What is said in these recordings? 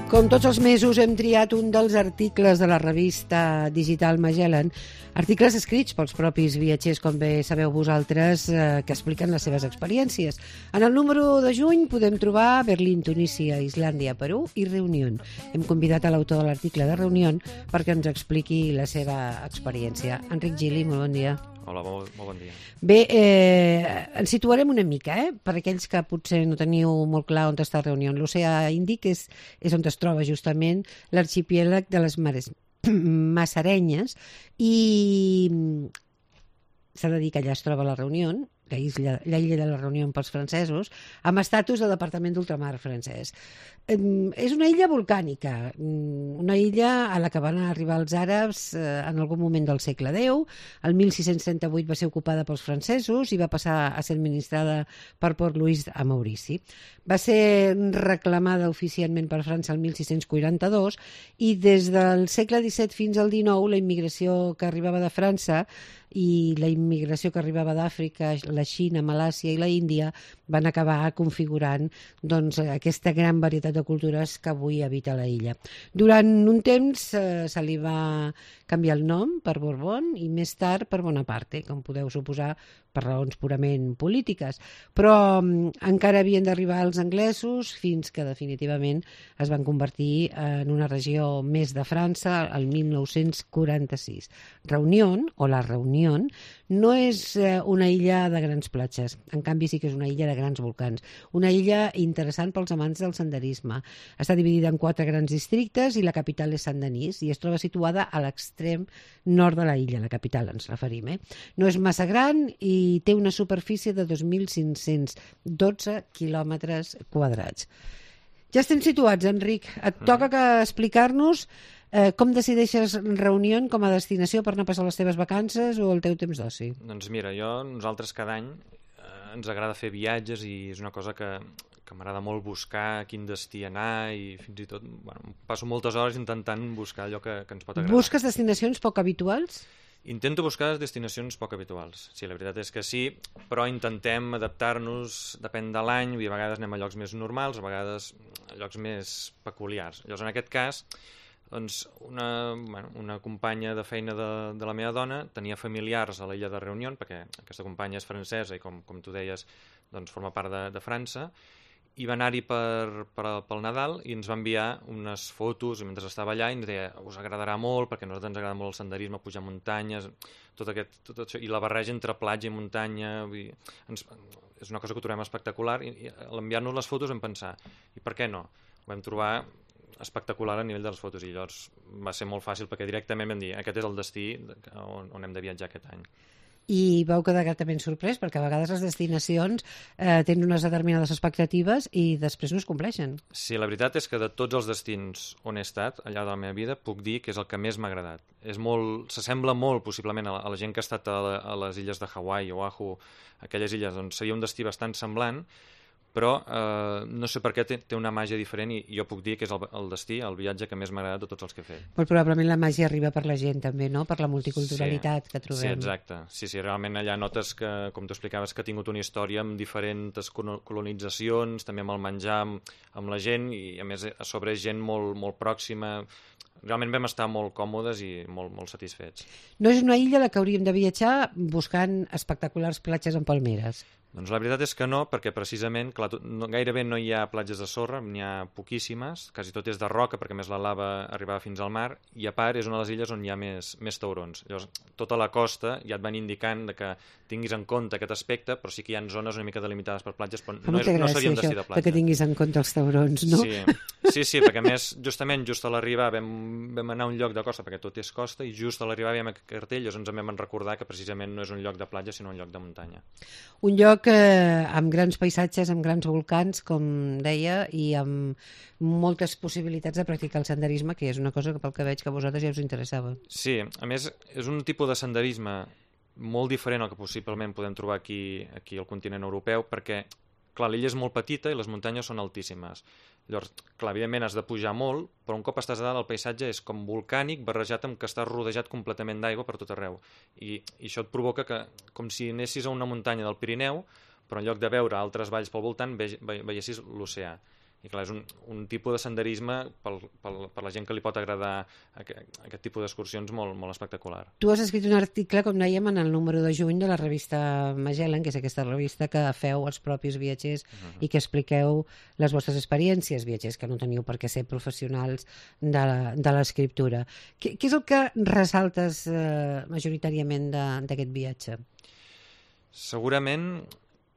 Com tots els mesos hem triat un dels articles de la revista digital Magellan, articles escrits pels propis viatgers, com bé sabeu vosaltres, que expliquen les seves experiències. En el número de juny podem trobar Berlín, Tunísia, Islàndia, Perú i Reunió. Hem convidat a l'autor de l'article de Reunió perquè ens expliqui la seva experiència. Enric Gili, molt bon dia. Hola, molt bon dia. Bé, ens situarem una mica, per aquells que potser no teniu molt clar on està Reunió. L'oceà Índic és on es troba justament l'arxipièlag de les Massarenyes i s'ha de dir que allà es troba la Reunió, l'illa de la Reunió pels francesos, amb estatus de departament d'ultramar francès. És una illa volcànica, una illa a la que van arribar els àrabs en algun moment del segle X. El 1638 va ser ocupada pels francesos i va passar a ser administrada per Port Louis a Maurici. Va ser reclamada oficialment per França el 1642 i des del segle XVII fins al XIX la immigració que arribava de França i la immigració que arribava d'Àfrica, la Xina, Malàisia i la Índia van acabar configurant aquesta gran varietat de cultures que avui habita la illa. Durant un temps se li va canviar el nom per Borbón i més tard per Bonaparte, com podeu suposar, per raons purament polítiques. Però encara havien d'arribar els anglesos fins que definitivament es van convertir en una regió més de França el 1946. Reunió, o la Reunió, no és una illa de grans platges, en canvi sí que és una illa de grans volcans. Una illa interessant pels amants del senderisme. Està dividida en 4 grans districtes i la capital és Saint-Denis i es troba situada a l'extrem nord de la illa, la capital ens referim. No és massa gran i té una superfície de 2.512 quilòmetres quadrats. Ja estem situats, Enric. Et toca explicar-nos com decideixes Reunió com a destinació per anar a passar les teves vacances o el teu temps d'oci? Doncs mira, nosaltres cada any ens agrada fer viatges i és una cosa que m'agrada molt buscar quin destí anar i fins i tot passo moltes hores intentant buscar allò que ens pot agradar. Busques destinacions poc habituals? Intento buscar destinacions poc habituals. Sí, la veritat és que sí, però intentem adaptar-nos, depèn de l'any, a vegades anem a llocs més normals, a vegades a llocs més peculiars. Llavors, en aquest cas, doncs, una companya de feina de la meva dona tenia familiars a l'illa de Reunió, perquè aquesta companya és francesa i, com tu deies, doncs, forma part de França, i va anar-hi pel Nadal i ens va enviar unes fotos mentre estava allà i ens deia, us agradarà molt perquè a nosaltres ens agrada molt el senderisme, pujar muntanyes, tot això, i la barreja entre platja i muntanya, és una cosa que ho trobem espectacular i a l'enviar-nos les fotos vam pensar, i per què no? Ho vam trobar espectacular a nivell de les fotos i llavors va ser molt fàcil perquè directament vam dir, aquest és el destí on hem de viatjar aquest any. I vau quedar gratament sorprès perquè a vegades les destinacions tenen unes determinades expectatives i després no es compleixen. Sí, la veritat és que de tots els destins on he estat al llarg de la meva vida puc dir que és el que més m'ha agradat. S'assembla molt possiblement a la gent que ha estat a les illes de Hawaii o Oahu, aquelles illes on seria un destí bastant semblant, però no sé per què té una màgia diferent i jo puc dir que és el destí, el viatge que més m'ha agradat de tots els que he fet. Molt probablement la màgia arriba per la gent també, no? Per la multiculturalitat que trobem. Sí, exacte. Sí, realment allà notes que, com tu explicaves, que ha tingut una història amb diferents colonitzacions, també amb el menjar, amb la gent i a més a sobre gent molt, molt pròxima. Realment vam estar molt còmodes i molt, molt satisfets. No és una illa a la que hauríem de viatjar buscant espectaculars platges amb palmeres. Doncs la veritat és que no, perquè precisament gairebé no hi ha platges de sorra, n'hi ha poquíssimes, quasi tot és de roca, perquè més la lava arribava fins al mar, i a part és una de les illes on hi ha més taurons. Llavors, tota la costa ja et van indicant que tinguis en compte aquest aspecte, però sí que hi ha zones una mica delimitades per platges, però no seria un destí de platja. Que tinguis en compte els taurons, no? Sí, perquè a més, justament just a l'arribar vam anar a un lloc de costa, perquè tot és costa, i just a l'arribar veiem aquest cartell, llavors ens vam recordar que precisament no és un lloc de platja, sinó un lloc de muntanya. Un lloc amb grans paisatges, amb grans volcans, com deia, i amb moltes possibilitats de practicar el senderisme, que és una cosa que pel que veig que a vosaltres ja us interessava. Sí, a més és un tipus de senderisme molt diferent al que possiblement podem trobar aquí al continent europeu, perquè clar, l'illa és molt petita i les muntanyes són altíssimes. Llavors, clar, evidentment has de pujar molt, però un cop estàs a dalt el paisatge és com volcànic barrejat amb que estàs rodejat completament d'aigua per tot arreu. I això et provoca que, com si anessis a una muntanya del Pirineu, però en lloc de veure altres valls pel voltant, veiessis l'oceà. I clar, és un tipus de senderisme per la gent que li pot agradar aquest tipus d'excursions molt, molt espectacular. Tu has escrit un article, com dèiem, en el número de juny de la revista Magellan, que és aquesta revista que feu els propis viatgers i que expliqueu les vostres experiències, viatgers que no teniu per què ser professionals de l'escriptura. Què és el que ressaltes majoritàriament d'aquest viatge? Segurament,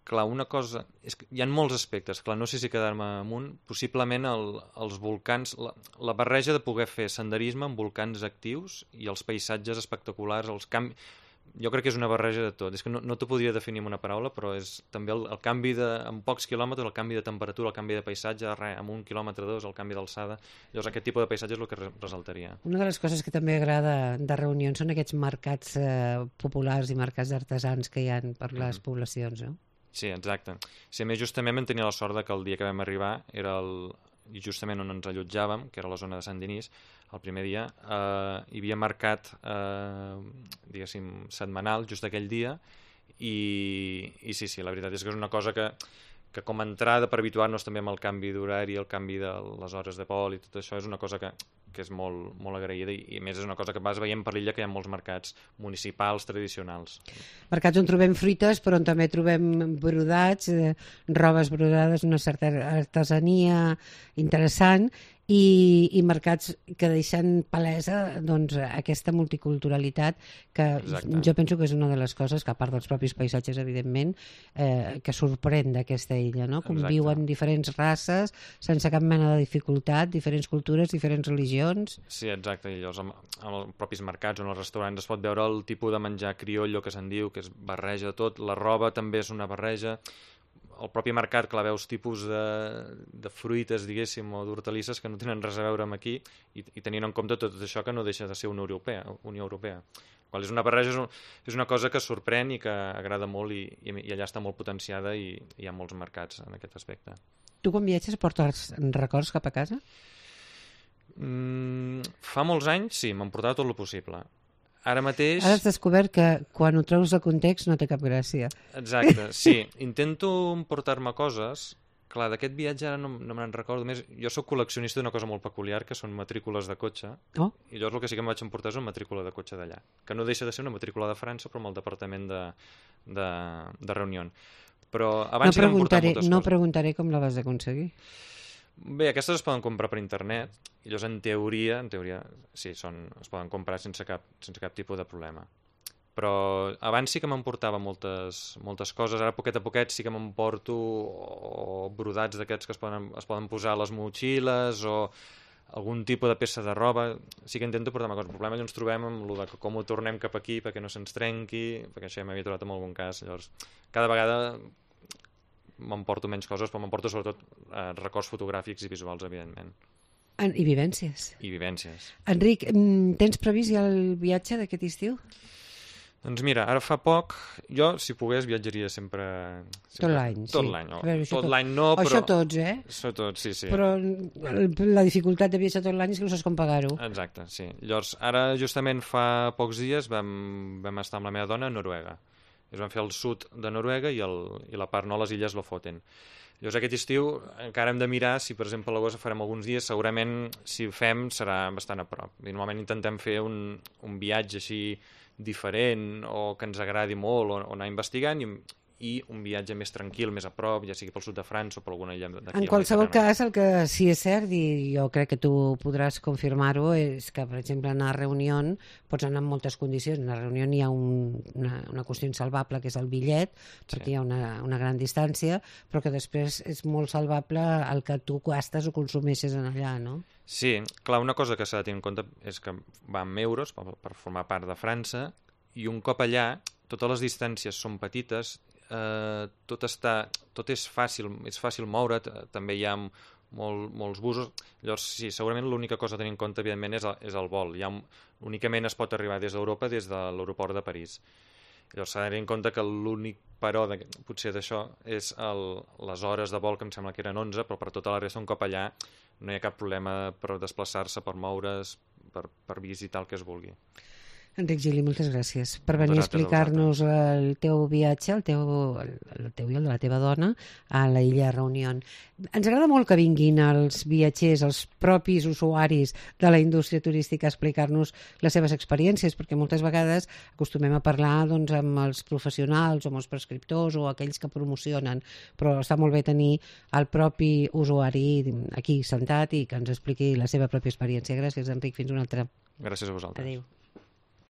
clar, una cosa... És que hi ha molts aspectes, clar, no sé si quedar-me amunt. Possiblement els volcans, la barreja de poder fer senderisme amb volcans actius i els paisatges espectaculars, els canvis... Jo crec que és una barreja de tot. És que no t'ho podria definir amb una paraula, però és també el canvi en pocs quilòmetres, el canvi de temperatura, el canvi de paisatge, amb 1 quilòmetre, 2, el canvi d'alçada. Llavors aquest tipus de paisatge és el que resaltaria. Una de les coses que també agrada de reunions són aquests mercats populars i mercats d'artesans que hi ha per les poblacions, no? Sí, exacte. Sí, a més, justament vam tenir la sort que el dia que vam arribar era justament on ens allotjàvem, que era la zona de Sant Denis, el primer dia, hi havia mercat, diguéssim, setmanal, just aquell dia, i sí, la veritat és que és una cosa que com a entrada per habituar-nos també amb el canvi d'horari, el canvi de les hores de vol i tot això, és una cosa que és molt, molt agraïda i a més és una cosa que vas veient per l'illa que hi ha molts mercats municipals tradicionals. Mercats on trobem fruites però on també trobem brodats, robes brodades, una certa artesania interessant i mercats que deixen palesa doncs, aquesta multiculturalitat que Exacte. jo penso que és una de les coses que a part dels propis paisatges evidentment que sorprèn d'aquesta illa, no? Conviuen diferents races sense cap mena de dificultat, diferents cultures, diferents religions. Sí, exacte, i llavors amb els propis mercats o en els restaurants es pot veure el tipus de menjar criollo que se'n diu, que és barreja de tot, la roba també és una barreja, el propi mercat, clar, veus tipus de fruites, diguéssim, o d'hortalisses que no tenen res a veure amb aquí i tenint en compte tot això que no deixa de ser Unió Europea. Qual és una barreja, és una cosa que sorprèn i que agrada molt i allà està molt potenciada i hi ha molts mercats en aquest aspecte. Tu quan viatges portes records cap a casa? Fa molts anys, sí, m'han portat tot el possible. Ara mateix... Ara has descobert que quan ho treus de context no té cap gràcia. Exacte, sí. Intento emportar-me coses. Clar, d'aquest viatge ara no me'n recordo més. Jo sóc col·leccionista d'una cosa molt peculiar, que són matrícules de cotxe. Oh. I llavors el que sí que em vaig emportar és una matrícula de cotxe d'allà. Que no deixa de ser una matrícula de França, però amb el departament de Reunió. Però abans sí que m'han portat moltes coses. No preguntaré com la vas aconseguir. Bé, aquestes es poden comprar per internet i llavors en teoria sí, es poden comprar sense cap tipus de problema. Però abans sí que m'emportava moltes coses, ara poquet a poquet sí que m'emporto brodats d'aquests que es poden posar a les motxilles o algun tipus de peça de roba, sí que intento portar-me coses. El problema és que ens trobem amb el de com ho tornem cap aquí perquè no se'ns trenqui, perquè això ja m'havia trobat en algun cas, llavors cada vegada m'emporto menys coses, però m'emporto sobretot records fotogràfics i visuals, evidentment. I vivències. I vivències. Enric, tens previst ja el viatge d'aquest estiu? Doncs mira, ara fa poc, jo, si pogués, viatjaria sempre tot l'any, sí. Tot l'any, tot l'any no, però... Això tots, Això tots, sí. Però la dificultat de viatjar tot l'any és que no saps com pagar-ho. Exacte, sí. Llavors, ara justament fa pocs dies vam estar amb la meva dona a Noruega. Es van fer el sud de Noruega i la part no, les illes Lofoten. Llavors aquest estiu encara hem de mirar si, per exemple, a l'agost farem alguns dies, segurament si ho fem serà bastant a prop. I normalment intentem fer un viatge així diferent o que ens agradi molt o anar investigant i un viatge més tranquil, més a prop, ja sigui pel sud de França o per alguna illa d'aquí. En qualsevol cas, el que sí és cert, i jo crec que tu podràs confirmar-ho, és que, per exemple, anar a Reunió pots anar en moltes condicions. A Reunió hi ha una qüestió insalvable, que és el bitllet, perquè hi ha una gran distància, però que després és molt salvable el que tu gastes o consumeixes en allà, no? Sí, clar, una cosa que s'ha de tenir en compte és que va amb euros per formar part de França i un cop allà totes les distàncies són petites, tot és fàcil moure't, també hi ha molts busos, llavors sí, segurament l'única cosa a tenir en compte evidentment és el vol, únicament es pot arribar des d'Europa des de l'aeroport de París. Llavors s'ha de tenir en compte que l'únic però potser d'això és les hores de vol, que em sembla que eren 11, però per tota la resta un cop allà no hi ha cap problema per desplaçar-se, per moure's, per visitar el que es vulgui. Enric Gili, moltes gràcies per venir a Vosaltres, a explicar-nos el teu viatge, el teu i el de la teva dona, a la illa Reunión. Ens agrada molt que vinguin els viatgers, els propis usuaris de la indústria turística a explicar-nos les seves experiències, perquè moltes vegades acostumem a parlar doncs, amb els professionals o amb els prescriptors o aquells que promocionen, però està molt bé tenir el propi usuari aquí sentat i que ens expliqui la seva pròpia experiència. Gràcies, Enric. Fins una altra. Gràcies a vosaltres. Adéu.